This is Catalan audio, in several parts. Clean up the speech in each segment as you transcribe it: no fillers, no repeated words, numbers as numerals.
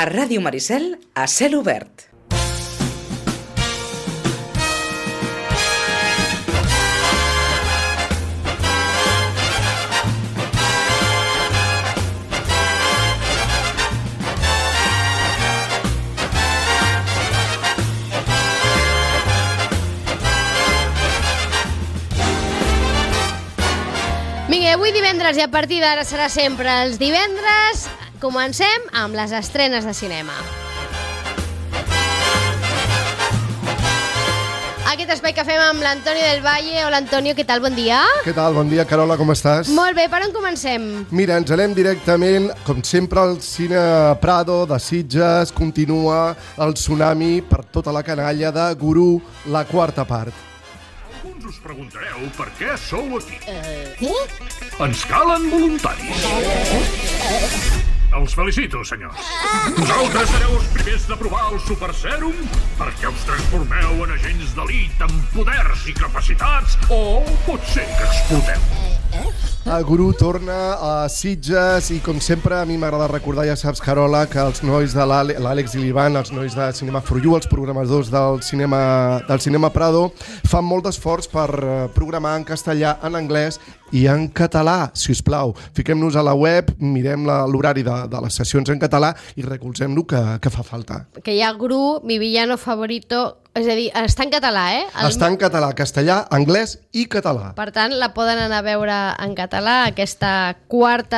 A Ràdio Maricel, a cel obert. Vinga, avui divendres i a partir d'ara serà sempre els divendres. Comencem amb les estrenes de cinema. Aquest espai que fem amb l'Antonio del Valle. Hola, Antonio, què tal? Bon dia. Què tal? Bon dia, Carola, com estàs? Molt bé, per on comencem? Mira, ens anem directament, com sempre, al Cine Prado de Sitges. Continua el tsunami per tota la canalla de Gurú, la quarta part. Us preguntareu per què sou aquí. Ens calen voluntaris. Els felicito, senyors. Vosaltres sereu els primers de provar el Super Sèrum perquè us transformeu en agents d'elit amb poders i capacitats, o pot ser que exploteu. Gurú torna a Sitges i, com sempre, a mi m'agrada recordar, ja saps, Carola, que els nois de l'Àlex i l'Ivan, els nois de Cinema for You, els programadors del Cinema Prado, fan molt d'esforç per programar en castellà, en anglès i en català. Si us plau, fiquem-nos a la web, mirem l'horari de les sessions en català i recolzem-lo que fa falta. Que hi ha Gurú, mi villano favorito. És a dir, està en català, eh? Està en català, castellà, anglès i català. Per tant, la poden anar a veure en català, aquesta quart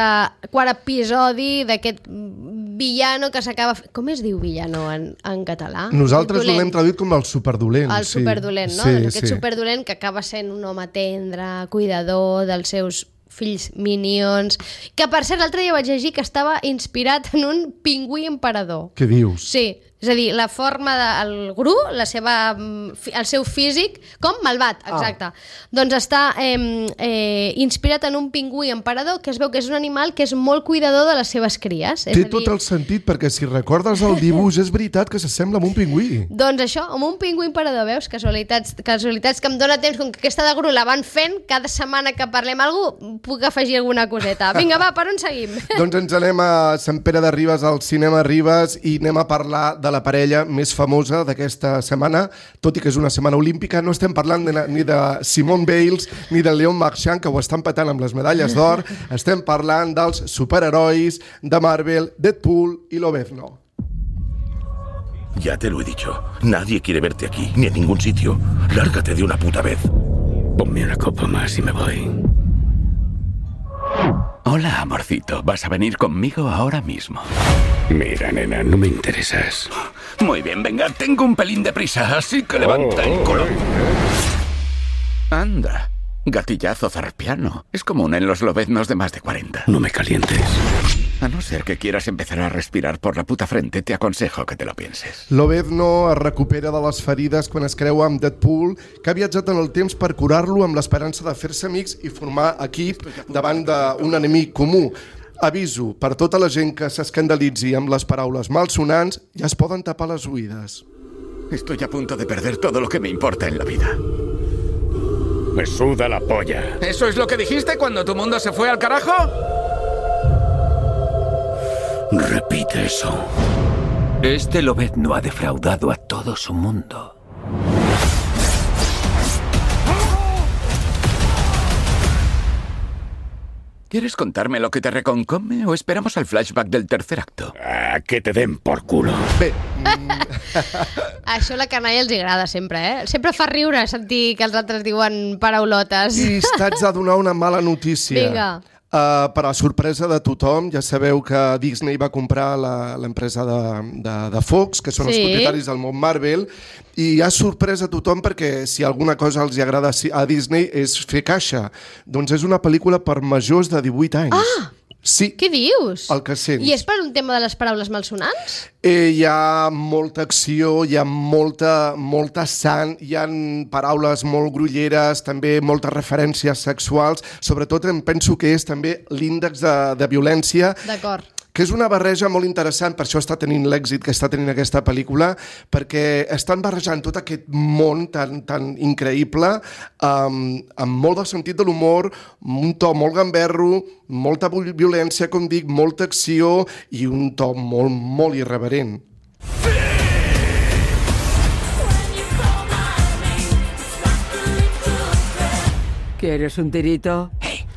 episodi d'aquest villano que s'acaba... Com es diu villano en català? Nosaltres l'hem traduït com el superdolent. El superdolent, no? Sí, aquest superdolent que acaba sent un home tendre, cuidador dels seus fills minions, que per cert l'altre dia vaig llegir que estava inspirat en un pingüí emperador. Què dius? Sí, és a dir, la forma del Gurú, el seu físic, com malvat, exacte. Doncs està inspirat en un pingüí emperador, que es veu que és un animal que és molt cuidador de les seves cries. Té tot el sentit, perquè si recordes el dibuix, és veritat que s'assembla amb un pingüí. Doncs això, amb un pingüí emperador, veus? Casualitats que em dóna temps, com que aquesta de Gurú la van fent, cada setmana que parlem algú puc afegir alguna coseta. Vinga, va, per on seguim? Doncs ens anem a Sant Pere de Ribes, al Cinema Ribes, i anem a parlar de la parella més famosa d'aquesta setmana. Tot i que és una setmana olímpica, no estem parlant ni de Simone Biles ni de Léon Marchand, que ho estan petant amb les medalles d'or. Estem parlant dels superherois de Marvel, Deadpool y Lobezno. Ya te lo he dicho, nadie quiere verte aquí, ni en ningún sitio. Lárgate de una puta vez. Ponme una copa más y me voy. Hola, amorcito. ¿Vas a venir conmigo ahora mismo? Mira, nena, no me interesas. Muy bien, venga, tengo un pelín de prisa, así que levanta el culo. Anda, gatillazo zarpiano. Es común en los lobeznos de más de 40. No me calientes. A no ser que quieras empezar a respirar por la puta frente, te aconsejo que te lo pienses. Lobezno es recupera de les ferides quan es creua amb Deadpool, que ha viatjat en el temps per curar-lo amb l'esperança de fer-se amics i formar equip davant d'un enemic comú. Aviso, per tota la gent que s'escandalitzi amb les paraules malsonants, ja es poden tapar les oïdes. Estoy a punto de perder todo lo que me importa en la vida. Me suda la polla. ¿Eso es lo que dijiste cuando tu mundo se fue al carajo? Repite eso. Este Lobezno ha defraudado a todo su mundo. ¿Quieres contarme lo que te reconcome o esperamos al flashback del tercer acto? Que te den por culo. Bé, Això a la canalla els agrada sempre, eh? Sempre fa riure sentir que els altres diuen paraulotes. i t'haig de donar una mala notícia. Vinga. Per a sorpresa de tothom, ja sabeu que Disney va comprar l'empresa de Fox, que són els propietaris del món Marvel, i ha sorprès a tothom perquè si alguna cosa els agrada a Disney és fer caixa. Doncs és una pel·lícula per majors de 18 anys. Ah! Sí. Què dius? El que sents. I és per un tema de les paraules malsonants? Hi ha molta acció, hi ha molta sang, hi ha paraules molt grolleres, també moltes referències sexuals. Sobretot em penso que és també l'índex de violència. D'acord. que és una barreja molt interessant, per això està tenint l'èxit que està tenint aquesta pel·lícula, perquè estan barrejant tot aquest món tan increïble, amb molt de sentit de l'humor, un to molt gamberro, molta violència, com dic, molta acció i un to molt, molt irreverent. ¿Quieres un tirito?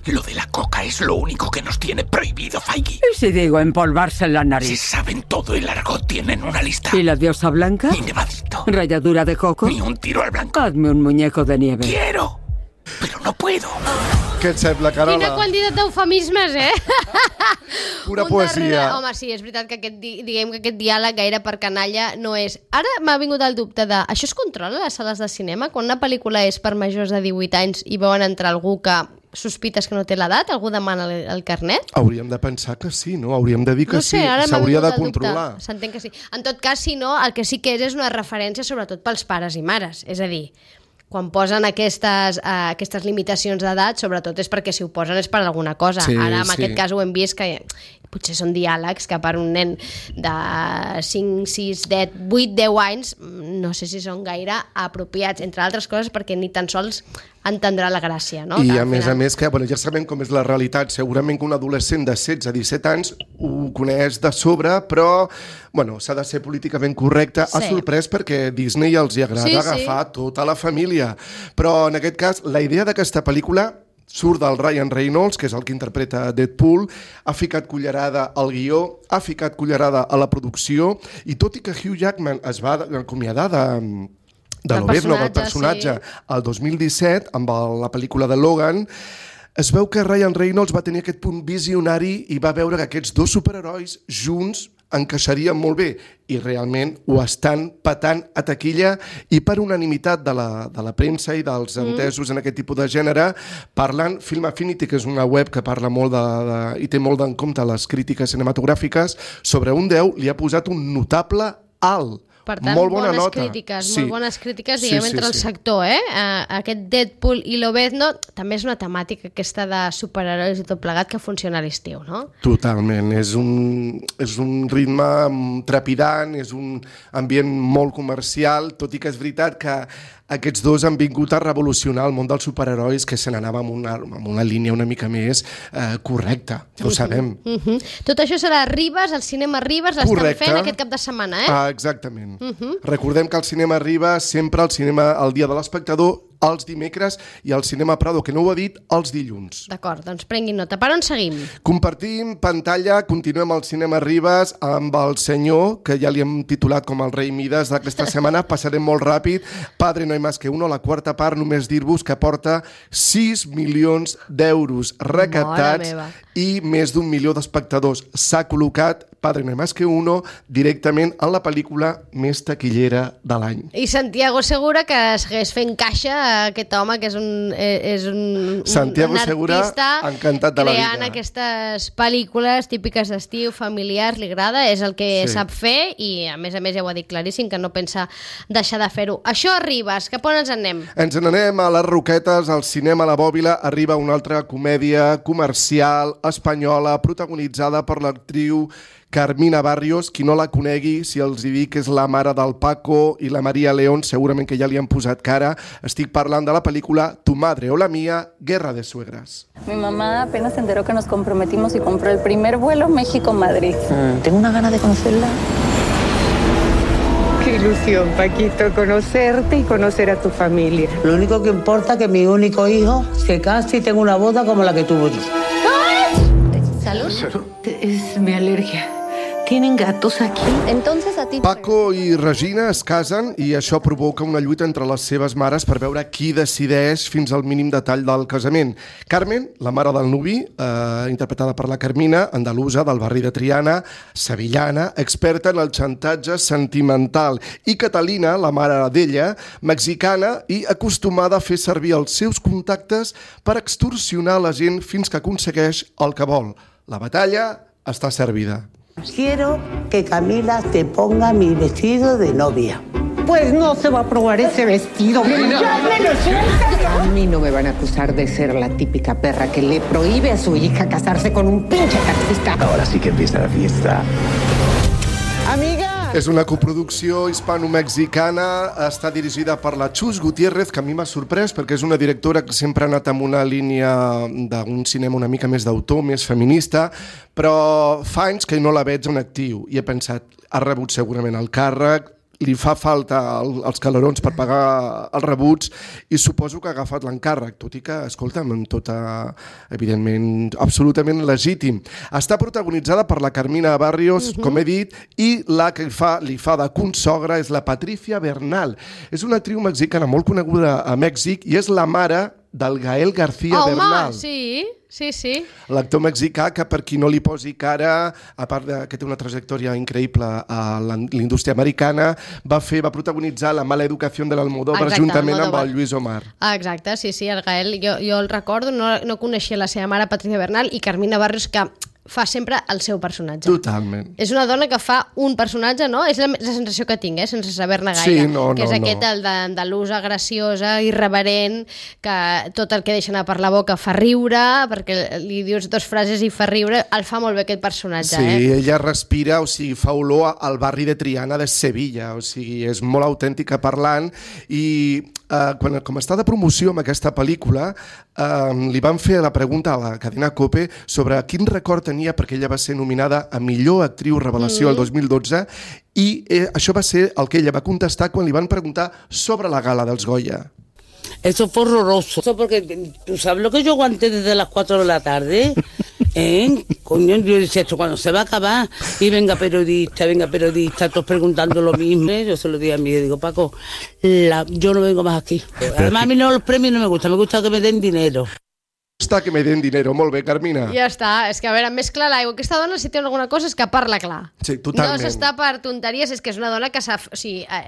Lo de la coca es lo único que nos tiene prohibido, Feige. ¿Y si digo empolvarse en la nariz? Si saben todo el argot, tienen una lista. ¿Y la diosa blanca? Ni nevadito. ¿Ralladura de coco? Ni un tiro al blanco. Hazme un muñeco de nieve. Quiero, pero no puedo. Què et sembla, Carola? Quina quantitat d'eufemismes, Pura poesia. Home, sí, és veritat que diguem que aquest diàleg gaire per canalla no és. Ara m'ha vingut el dubte de... Això es controla a les sales de cinema? Quan una pel·lícula és per majors de 18 anys i veuen entrar algú que sospites que no té l'edat? Algú demana el carnet? Hauríem de pensar que sí, no? Hauríem de dir que sí. S'hauria de controlar. S'entén que sí. En tot cas, si no, el que sí que és una referència sobretot pels pares i mares. És a dir, quan posen aquestes limitacions d'edat, sobretot és perquè si ho posen és per alguna cosa. Sí, ara, en aquest cas, ho hem vist que potser són diàlegs que per un nen de 5, 6, 10, 8, 10 anys no sé si són gaire apropiats, entre altres coses perquè ni tan sols entendrà la gràcia, no? I a més que ja sabem com és la realitat. Segurament que un adolescent de 16 a 17 anys ho coneix de sobre, però s'ha de ser políticament correcte. Sí. Ha sorprès perquè Disney els hi agrada agafar tota la família. Però en aquest cas, la idea d'aquesta pel·lícula surt del Ryan Reynolds, que és el que interpreta Deadpool, ha ficat cullerada al guió, ha ficat cullerada a la producció, i tot i que Hugh Jackman es va acomiadar del personatge el 2017 amb la pel·lícula de Logan, es veu que Ryan Reynolds va tenir aquest punt visionari i va veure que aquests dos superherois junts encaixarien molt bé i realment ho estan patant a taquilla i per unanimitat de la premsa i dels entesos en aquest tipus de gènere parlant. Film Affinity, que és una web que parla molt i té molt en compte les crítiques cinematogràfiques, sobre un 10 li ha posat un notable alt. Per tant, molt bones crítiques, diguem, entre el sector, Aquest Deadpool i Lobezno també és una temàtica aquesta de superherois i tot plegat que funciona a l'estiu, no? Totalment, és un ritme trepidant, és un ambient molt comercial, tot i que és veritat que aquests dos han vingut a revolucionar el món dels superherois, que se n'anava amb una línia una mica més correcta, ja ho sabem. Tot això serà a Ribes, al cinema Ribes, l'estan fent aquest cap de setmana, Exactament. Recordem que el cinema Ribes sempre el dia de l'espectador els dimecres i al cinema Prado, que no ho ha dit, els dilluns. D'acord, doncs prenguin nota. Per on seguim? Compartim pantalla, continuem al cinema Ribes amb el senyor, que ja li hem titulat com el rei Mides d'aquesta setmana, passarem molt ràpid, Padre no hay más que uno, la quarta part, només dir-vos que porta 6 milions d'euros recaptats i més d'1 milió d'espectadors. S'ha col·locat Padre no hay más que uno directament en la pel·lícula més taquillera de l'any. I Santiago Segura, que segueix fent caixa, aquest home que és un Santiago Segura, encantat de la vida. Creant aquestes pel·lícules típiques d'estiu, familiars, li agrada, és el que sap fer i a més ja ho ha dit claríssim, que no pensa deixar de fer-ho. Això arribes, cap on ens anem? Ens n'anem a les Roquetes, al cinema La Bòbila, arriba una altra comèdia comercial espanyola protagonitzada per l'actriu Carmina Barrios. Qui no la conegui, si els dic que és la mare del Paco i la María León, segurament que ja li han posat cara. Estic parlant de la pel·lícula Tu madre o la mía, Guerra de suegras. Mi mamá apenas se enteró que nos comprometimos y compró el primer vuelo México-Madrid. Tengo una gana de conocerla. Qué ilusión, Paquito, conocerte y conocer a tu familia. Lo único que importa es que mi único hijo se case y tenga una boda como la que tuvo yo. ¿Salud? Es mi alergia. ¿Tienen gatos aquí? Entonces a ti... Paco i Regina es casen i això provoca una lluita entre les seves mares per veure qui decideix fins al mínim detall del casament. Carmen, la mare del nuvi, interpretada per la Carmina, andalusa del barri de Triana, sevillana, experta en el xantatge sentimental. I Catalina, la mare d'ella, mexicana i acostumada a fer servir els seus contactes per extorsionar la gent fins que aconsegueix el que vol. La batalla està servida. Quiero que Camila te ponga mi vestido de novia. pues no se va a probar ese vestido. A mí no me van a acusar de ser la típica perra que le prohíbe a su hija casarse con un pinche taxista. Ahora sí que empieza la fiesta. Amiga! És una coproducció hispano-mexicana, està dirigida per la Chus Gutiérrez, que a mi m'ha sorprès perquè és una directora que sempre ha anat amb una línia d'un cinema una mica més d'autor, més feminista, però fa anys que no la veig en actiu i he pensat, ha rebut segurament el càrrec, li fa falta els calerons per pagar els rebuts i suposo que ha agafat l'encàrrec, tot i que, escolta'm, amb tota, evidentment, absolutament legítim. Està protagonitzada per la Carmina Barrios, com he dit, i la que li fa de consogra és la Patricia Bernal. És una actriu mexicana molt coneguda a Mèxic i és la mare del Gael García Bernal. Home, sí. L'actor mexicà que, per qui no li posi cara, a part que té una trajectòria increïble a l'indústria americana, va protagonitzar La mala educació de l'Almodóvar juntament amb el Lluís Omar. Exacte, sí, el Gael, jo el recordo, no coneixia la seva mare, Patricia Bernal, i Carmina Barrios, que fa sempre el seu personatge. Totalment. És una dona que fa un personatge, no? És la sensació que tinc, sense saber-ne gaire. Sí, no. Aquest, el d'andalusa, graciosa, irreverent, que tot el que deixa anar per la boca fa riure, perquè li dius dues frases i fa riure, el fa molt bé aquest personatge. Sí, ella respira, o sigui, fa olor al barri de Triana de Sevilla, o sigui, és molt autèntica parlant i com està de promoció amb aquesta pel·lícula, li van fer la pregunta a la cadena COPE sobre quin record tenia perquè ella va ser nominada a millor actriu revelació el 2012 i això va ser el que ella va contestar quan li van preguntar sobre la gala dels Goya. Eso fue horroroso. Eso porque tú sabes lo que yo aguanté desde las 4 de la tarde. Coño, yo decía esto cuando se va a acabar y venga periodista, todos preguntando lo mismo. Yo se lo dije a mí, digo, Paco, yo no vengo más aquí. Además a mí los premios no me gusta que me den dinero. Està que me den dinero, molt bé, Carmina. Ja està, és que a veure, més clar l'aigua. Aquesta dona, si té alguna cosa, és que parla clar. Sí, totalment. No s'està per tonteries, és que és una dona que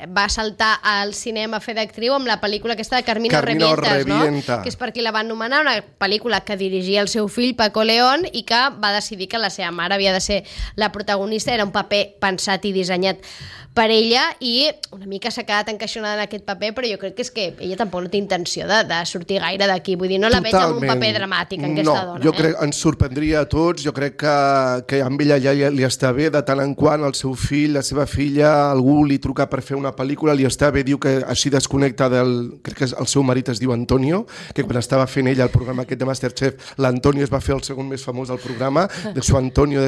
va saltar al cinema a fer d'actriu amb la pel·lícula aquesta de Carmina Revienta, no? Que és per qui la van nomenar, una pel·lícula que dirigia el seu fill, Paco León, i que va decidir que la seva mare havia de ser la protagonista. Era un paper pensat i dissenyat per ella i una mica s'ha quedat encaixonada en aquest paper, però jo crec que és que ella tampoc no té intenció de sortir gaire d'aquí. Vull dir, no la veig amb un paper dramàtic, aquesta dona. Jo crec, ens sorprendria a tots. Jo crec que amb ella ja li està bé, de tant en quant el seu fill, la seva filla, algú li truca per fer una pel·lícula, li està bé, diu que així desconnecta crec que el seu marit es diu Antonio, que quan estava fent ella el programa aquest de Masterchef, l'Antonio es va fer el segon més famós del programa, de su Antonio,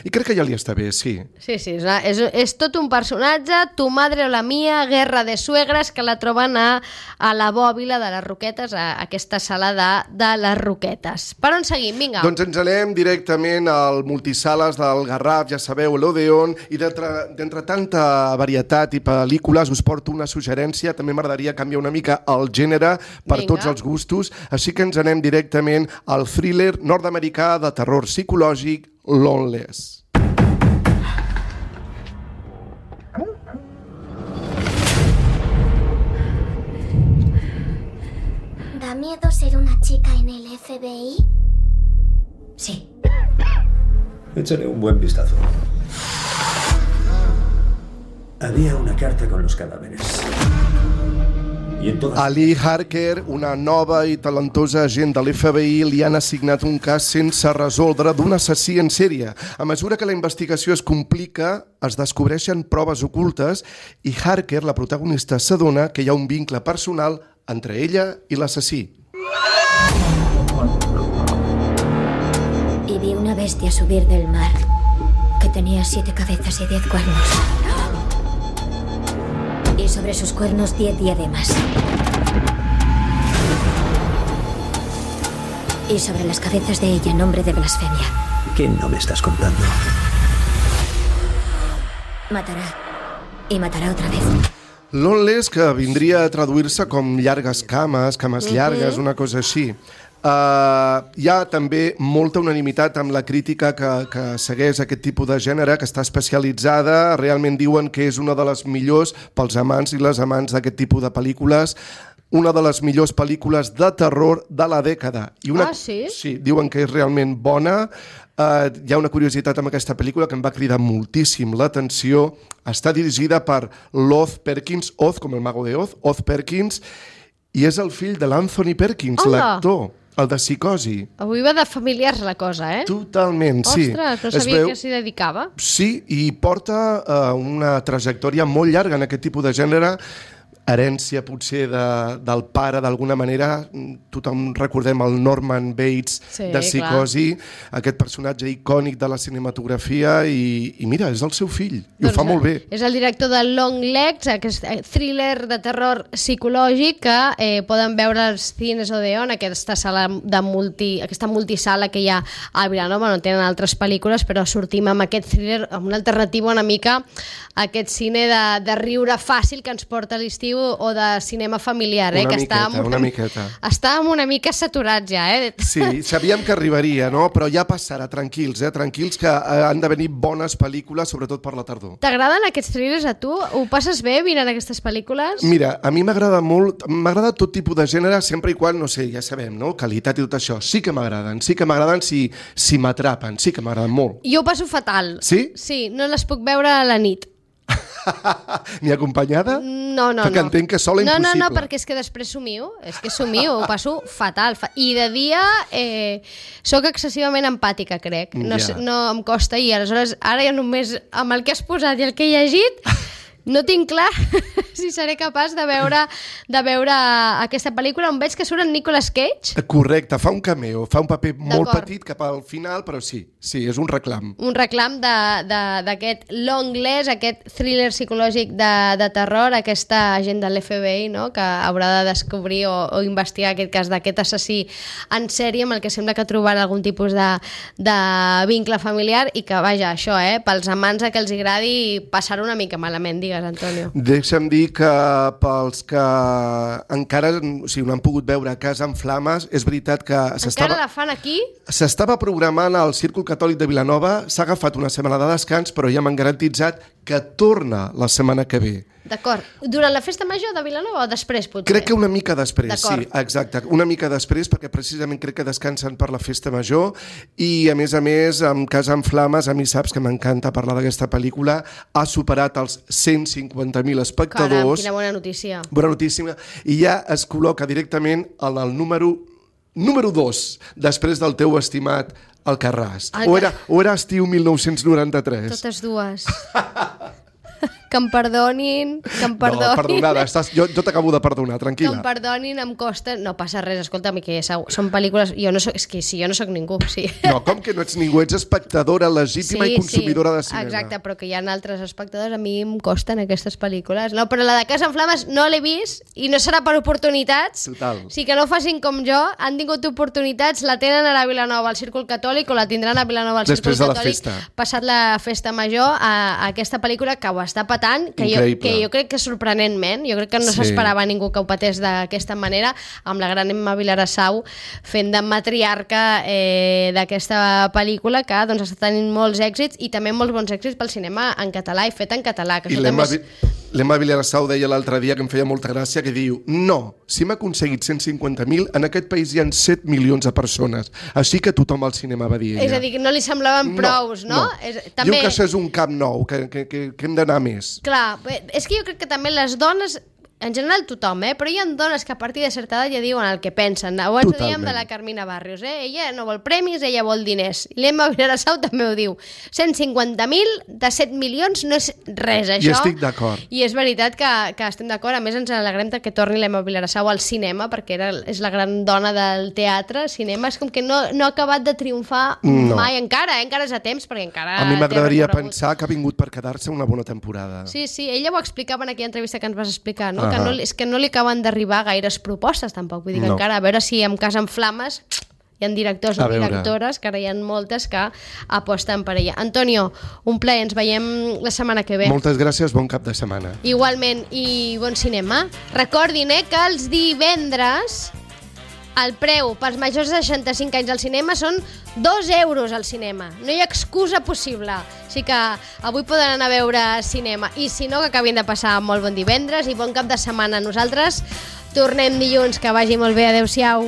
i crec que ja li està bé, sí. Sí, és tot un personatge, Tu madre o la mia, Guerra de suegres, que la troben a la bòbila de les Roquetes, a aquesta sala de les Roquetes. Per on seguim? Vinga. Doncs ens anem directament al multisales del Garraf, ja sabeu, l'Odeon, i d'entre tanta varietat i pel·lícules us porto una suggerència. També m'agradaria canviar una mica el gènere per tots els gustos, així que ens anem directament al thriller nord-americà de terror psicològic Loneless. ¿Da miedo ser una chica en el FBI? Sí. Échale un buen vistazo. Había una carta con los cadáveres. A Lee Harker, una nova i talentosa agent de l'FBI, li han assignat un cas sense resoldre d'un assassí en sèrie. A mesura que la investigació es complica, es descobreixen proves ocultes i Harker, la protagonista, s'adona que hi ha un vincle personal entre ella i l'assassí. Y vi una bestia subir del mar que tenía 7 cabezas y 10 cuernos. Y sobre sus cuernos 10 diademas. Y sobre las cabezas de ella nombre de blasfemia. ¿Qué no me estás contando? Matará. Y matará otra vez. Loneless, que vindria a traduir-se com llargues cames llargues, una cosa així. Hi ha també molta unanimitat amb la crítica que segueix aquest tipus de gènere, que està especialitzada. Realment diuen que és una de les millors pels amants i les amants d'aquest tipus de pel·lícules. una de les millors pel·lícules de terror de la dècada. Sí? Sí, diuen que és realment bona. Hi ha una curiositat amb aquesta pel·lícula que em va cridar moltíssim l'atenció. Està dirigida per Oz Perkins, Oz com el mago de Oz, Oz Perkins, i és el fill de l'Anthony Perkins, l'actor, el de Psicosi. Avui va de familiars la cosa, Totalment, sí. Ostres, no sabia que s'hi dedicava. Sí, i porta una trajectòria molt llarga en aquest tipus de gènere, herència potser del pare d'alguna manera. Tothom recordem el Norman Bates de Psicosi, aquest personatge icònic de la cinematografia, i mira, és el seu fill, i ho fa molt bé. És el director de Longlegs, aquest thriller de terror psicològic que poden veure als Cines Odeon, aquesta sala aquesta multisala que hi ha a Vilanova. No tenen altres pel·lícules, però sortim amb aquest thriller, amb una alternativa una mica a aquest cine de riure fàcil que ens porta a l'estiu, o de cinema familiar, Una miqueta. Estàvem una mica saturats ja, Sí, sabíem que arribaria, no? Però ja passarà, tranquils, tranquils, que han de venir bones pel·lícules, sobretot per la tardor. T'agraden aquests thrillers a tu? Ho passes bé mirant aquestes pel·lícules? Mira, a mi m'agrada molt, m'agrada tot tipus de gènere, sempre i quan, no sé, ja sabem, no? Qualitat i tot això. Sí que m'agraden si m'atrapen, sí que m'agraden molt. Jo ho passo fatal. Sí? Sí, no les puc veure a la nit. Ni acompanyada? No. Perquè entenc que sola impossible. No, perquè és que després somio, ho passo fatal. I de dia sóc excessivament empàtica, crec. No em costa, i aleshores ara ja només amb el que has posat i el que he llegit no tinc clar si seré capaç de veure aquesta pel·lícula on veig que surt en Nicolas Cage. Correcte, fa un cameo, fa un paper molt petit cap al final, però sí, és un reclam. Un reclam d'aquest Longlegs, aquest thriller psicològic de terror, aquesta agent de l'FBI, no?, que haurà de descobrir o investigar aquest cas d'aquest assassí en sèrie amb el que sembla que trobarà algun tipus de vincle familiar, i que, vaja, això, pels amants a que els agradi passar una mica malament, digues, Antonio. Deixa'm dir que pels que encara no han pogut veure Casa en Flames, és veritat que encara la fan aquí? S'estava programant al Círcul Catòlic de Vilanova, s'ha agafat una setmana de descans, però ja m'han garantitzat que torna la setmana que ve. D'acord. Durant la festa major de Vilanova o després, potser? Crec que una mica després, sí, exacte. Una mica després, perquè precisament crec que descansen per la festa major, i a més, amb Casa en Flames, a mi saps que m'encanta parlar d'aquesta pel·lícula, ha superat els 150.000 espectadors. Caram, quina bona notícia. Bona notícia. I ja es col·loca directament en el número 2, després del teu estimat Alcarràs. O era estiu 1993? Totes dues. Que em perdonin. No, perdonada, jo t'acabo de perdonar, tranquil·la. Que em perdonin, em costa... No passa res, escolta'm, que són pel·lícules... És que si jo no sóc ningú, sí. No, com que no ets ningú? Ets espectadora legítima i consumidora de cinema. Exacte, però que hi ha altres espectadors, a mi em costen aquestes pel·lícules. No, però la de Casa en Flames no l'he vist, i no serà per oportunitats. Total. Sí, que no facin com jo, han tingut oportunitats, la tenen ara a Vilanova al Círcul Catòlic, o la tindran a Vilanova al Círcul Catòlic passat la festa major, a aquesta pel·lícula que ho està patant, que jo crec que sorprenentment, jo crec que no s'esperava ningú que ho patés d'aquesta manera, amb la gran Emma Vilarassau fent de matriarca d'aquesta pel·lícula, que doncs està tenint molts èxits, i també molts bons èxits pel cinema en català i fet en català. I l'Emma Vilarassau deia l'altre dia, que em feia molta gràcia, que diu, no, si hem aconseguit 150.000, en aquest país hi ha 7 milions de persones, així que tothom al cinema va dir ella. És a dir, que no li semblaven prous, no? Diu que això és un camp nou, que hem d'anar més. Clar, és que jo crec que també les dones, en general tothom, però hi ha dones que a partir de certa edat ja diuen el que pensen. Abans dèiem de la Carmina Barrios, ella no vol premis, ella vol diners. L'Emma Vilarassau també ho diu. 150.000 de 7 milions no és res, això. I estic d'acord. I és veritat que estem d'acord. A més, ens alegrem que torni l'Emma Vilarassau al cinema, perquè és la gran dona del teatre, cinema. És com que no ha acabat de triomfar mai encara és a temps, perquè encara... A mi m'agradaria pensar que ha vingut per quedar-se una bona temporada. Sí, ella ho explicava en aquella entrevista que ens vas explicar, no? És que no li acaben d'arribar gaires propostes, tampoc. Vull dir que encara, a veure si amb Casa en Flames hi ha directors o directores, que ara hi ha moltes que aposten per ella. Antonio, un plaer, ens veiem la setmana que ve. Moltes gràcies, bon cap de setmana. Igualment, i bon cinema. Recordin que els divendres el preu pels majors de 65 anys al cinema són 2 euros al cinema. No hi ha excusa possible. Així que avui poden anar a veure cinema. I si no, que acabin de passar molt bon divendres i bon cap de setmana. Nosaltres Tornem dilluns, que vagi molt bé, adeu-siau.